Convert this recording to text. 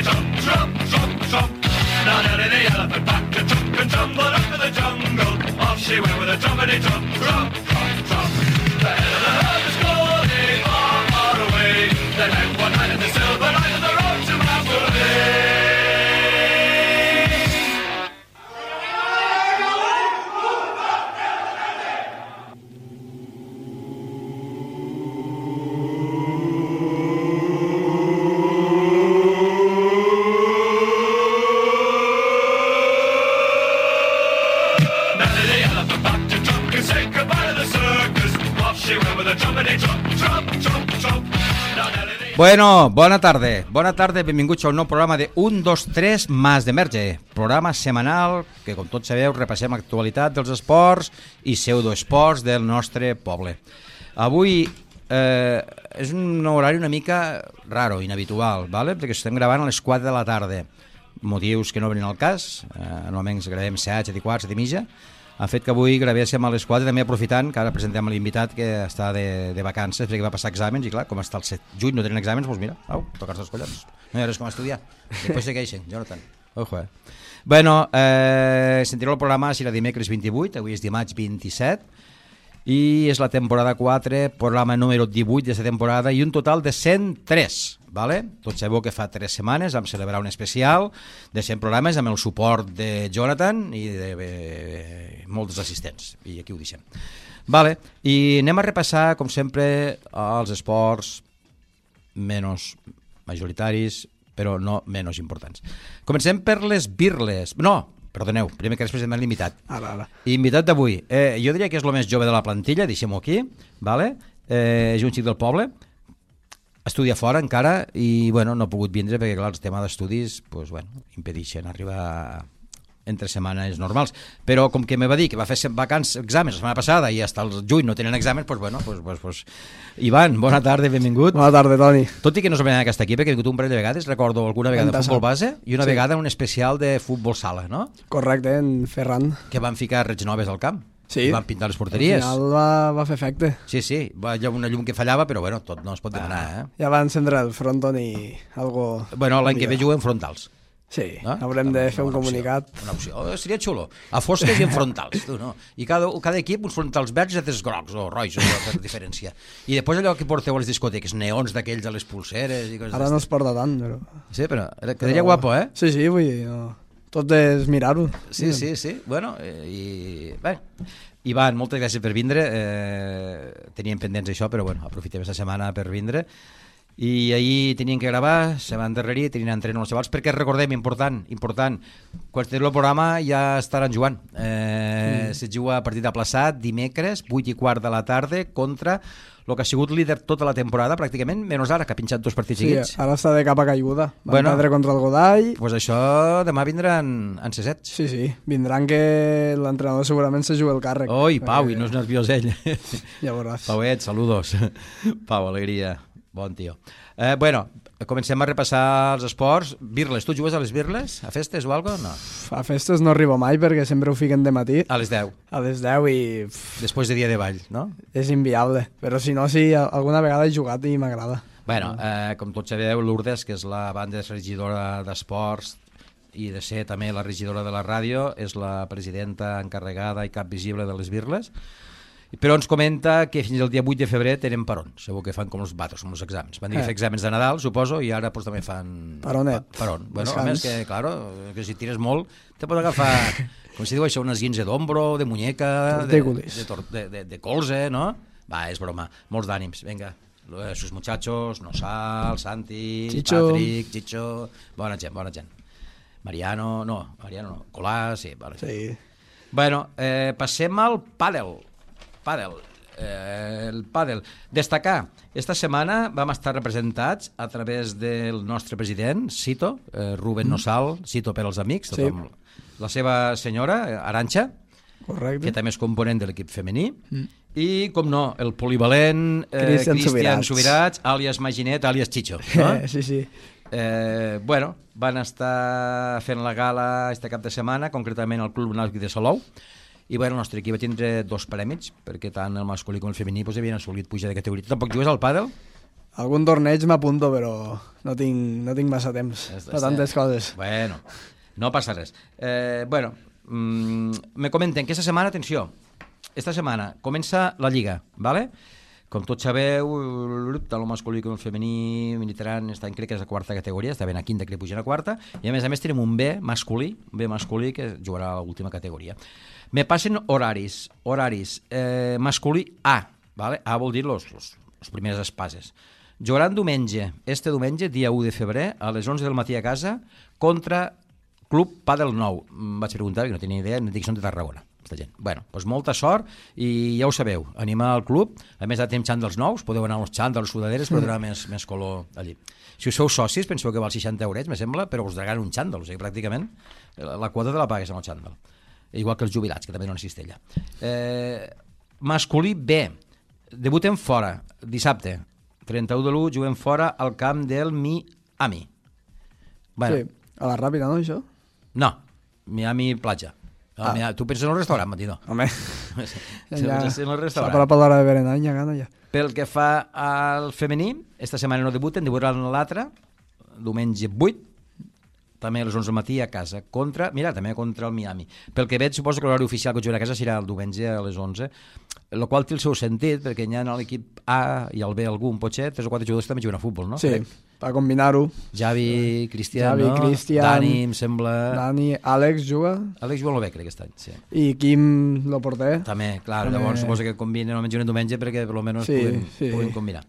trump, trump, trump, trump. Now Nelly the elephant packed a trunk and tumbled up to the jungle. Off she went with a trumpety trump, trump, trump, trump. The head of the herd was going far, far away. They met one night in the silver light of the road to Mandalay. Bueno, bona tarda, benvinguts a un nou programa de 1, 2, 3 Mas d'Emerge, programa setmanal que, com tots sabeu, repassem l'actualitat dels esports i pseudoesports del nostre poble. Avui és un horari una mica raro, inhabitual, ¿vale? Perquè estem gravant a les 4 de la tarda, motius que no venen al cas, normalment gravem 7, 7 i quart, 7 i mitja. Ha fet que avui gravéssim a les 4, també aprofitant que ara presentem l'invitat que està de vacances perquè va passar exàmens i clar, com està el 7 juny no tenen exàmens, doncs mira, tocar-se els collons, no hi ha res com estudiar, després segueixen, Jonathan. Ojo, Bueno, sentireu el programa serà dimecres 28, avui és dimarts 27 i és la temporada 4, programa número 18 d'aquesta temporada i un total de 103, ¿vale? Tots sabeu que fa 3 setmanes vam celebrar un especial de 100 programes amb el suport de Jonathan i de molts assistents, i aquí ho deixem. Vale. I anem a repassar, com sempre, els esports menys majoritaris, però no menys importants. Comencem per les birles. No, perdoneu, primer que després presentem l'invitat. Invitat d'avui. Jo diria que és el més jove de la plantilla, deixem-ho aquí, ¿vale? És un xic del poble, estudia fora encara i bueno, no ha pogut vindre perquè clar, el tema d'estudis pues, bueno, impedeixen arribar entre setmanes normals, però com que me va dir que va fer exàmens la setmana passada i fins al juny no tenen exàmens, doncs bueno, pues. Ivan, bona tarda, benvingut. Bona tarda, Toni. Tot i que no és la primera vegada que està aquí, perquè he vingut un parell de vegades, recordo alguna vegada de futbol base i una vegada un especial de futbol sala, no? Correcte, en Ferran. Que van ficar rets noves al camp. Sí. Van pintar les porteries. Al final va fer efecte. Sí, va haver una llum que fallava, però bueno, tot no es pot demanar, Ja va encendre el fronton i algo... Bueno, l'any que ve juguem frontals. Sí, haurem de fer un comunicat. Una opció, seria xulo. A fosques i en frontals, tu, no? I cada equip uns frontals verds i altres grocs o roig, per diferència. I després allò que porteu a les discoteques, neons d'aquells a les pulseres i coses. Ara no es porta tant, però... Sí, però quedaria guapo, eh? Sí, vull dir, no. Tot és mirar-ho. Sí. Bueno, bé. Ivan, moltes gràcies per vindre. Teníem pendents això, però bueno, aprofitem aquesta setmana per vindre. I ahir tenien que gravar, se van endarrerir, tenien entreno els xavals, perquè recordem, important, quan estigui el programa ja estaran jugant. Se juga a partit aplaçat, dimecres, 8:15 de la tarda, contra el que ha sigut líder tota la temporada, pràcticament, menys ara, que ha pinxat 2 partits seguits. Sí, ara està de capa caiguda. Van perdre contra el Godall. Doncs això demà vindran en C7. Sí, vindran que l'entrenador segurament se juga el càrrec. Oi, Pau, i no és nerviós ell. Ja veuràs. Pauet, saludos. Pau, alegria. Bon tio. Bueno, comencem a repassar els esports. Birles, tu jugues a les birles? A festes o alguna cosa? No. A festes no arribo mai perquè sempre ho fiquen de matí. A les 10. A les 10 i... Després de dia de ball, no? És inviable, però si no, sí, alguna vegada he jugat i m'agrada. Bueno, com tots sabeu, Lourdes, que és la banda regidora d'esports i de ser també la regidora de la ràdio, és la presidenta encarregada i cap visible de les birles. Però ens comenta que fins al dia 8 de febrer tenen paron. Segur que fan com els vatos, com els exàmens. Van dir que fer exàmens de Nadal, suposo, i ara pues, també fan... Paronet. Paron. Bueno, a més que, claro, que si tires molt, te pots agafar, com si diu això, unes guins d'ombro, de muñeca, de colze, no? Va, és broma. Molts d'ànims. Vinga, sus muchachos, Nosal, Santi, Chicho. Patrick, Chicho... Bona gent. Mariano, Colà, sí. Vale. Sí. Bueno, passem al pàdel. El pàdel. Destacar, esta setmana vam estar representats a través del nostre president, Cito, Rubén Nosal, Cito per als amics, sí. La seva senyora, Arantxa, correcte, que també és component de l'equip femení, i, com no, el polivalent Cristian Subirats, àlies Maginet, àlies Chicho. No? Sí. Bueno, van estar fent la gala este cap de setmana, concretament al Club Nàutic de Salou, i bueno, el nostre equip va tindre 2 prèmits perquè tant el masculí com el femení pues, havien assolit pujar de categoria. Tu tampoc jugues al pàdel? Algun torneig m'apunto, però no tinc massa temps per tantes coses. Bueno, no passa res. Me comenten que esta setmana, atenció, esta setmana comença la Lliga, ¿vale? Com tots sabeu, tant el masculí com el femení militaran, crec que és la quarta categoria, està ben a quinta, crec que pugen a quarta, i a més tenim un B masculí que jugarà a l'última categoria. Me passen horaris, masculí A, ¿vale? A vol dir los primeres espases. Jugaran este diumenge, dia 1 de febrer, a les 11 del matí a casa, contra Club Padel Nou. Vaig preguntar, que no tenia idea, no dic que són de Tarragona. Gent. Bueno, doncs molta sort i ja ho sabeu, animar al club, a més tenim xandals nous, podeu anar als xandals, sudaderes, però donar més color allí. Si us feu socis, penseu que val 60 €, me sembla, però us donaran un xandall, o sigui, pràcticament la quota te la pagues amb el xandall, igual que els jubilats, que també no una cistella. Masculí B, debutem fora, dissabte 31 de l'1, juguem fora al camp del Miami. Bueno, sí, a la Ràpida, no, això? No, Miami Platja. Tu penses en el restaurant, Matino? Home, ja s'ha parat per l'hora de berenar, ja gana ja. Pel que fa al femení, esta setmana no debutaran l'altre, diumenge 8, també a les 11 del matí a casa, també contra el Miami. Pel que veig, suposo que l'horari oficial que jugarà a casa serà el diumenge a les 11, el qual té el seu sentit, perquè hi ha l'equip A i el B algun, potser 3 o 4 jugadors també juguen a futbol, no? Sí, per combinar-ho. Javi, Cristian, no? Dani, em sembla... Dani, Àlex juga. Àlex juga molt bé, crec, aquest any, sí. I Quim, lo porter. També, clar, llavors suposo que combinen, almenys un diumenge perquè per almenys puguin combinar.